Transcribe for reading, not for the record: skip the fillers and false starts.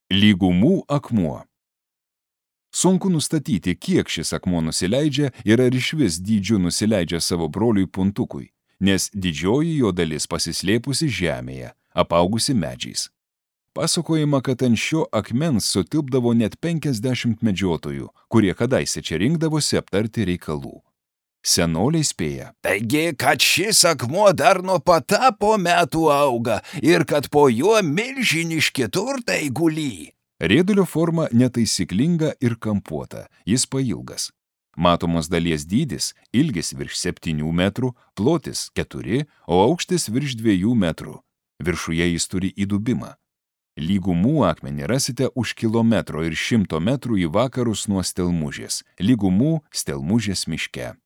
Lygumų akmuo. Sunku nustatyti, kiek šis akmuo nusileidžia ir ar išvis dydžiu nusileidžia savo broliui puntukui, nes didžioji jo dalis pasislėpusi žemėje, apaugusi medžiais. Pasakojama, kad ant šio akmens sutilpdavo net 50 medžiotojų, kurie kadaise čia rinkdavosi aptarti reikalų. Senoliai spėja. Taigi, kad šis akmuo dar nuo patapo metų auga ir kad po juo milžiniški turtai gulį. Rėdulio forma netaisyklinga ir kampuota, jis pailgas. Matomos dalies dydis – ilgis virš 7 metrų, plotis 4, o aukštis virš 2 metrų. Viršuje jis turi įdubimą. Lygumų akmenį rasite už kilometro ir 100 metrų į vakarus nuo Stelmužės, Lygumų Stelmužės miške.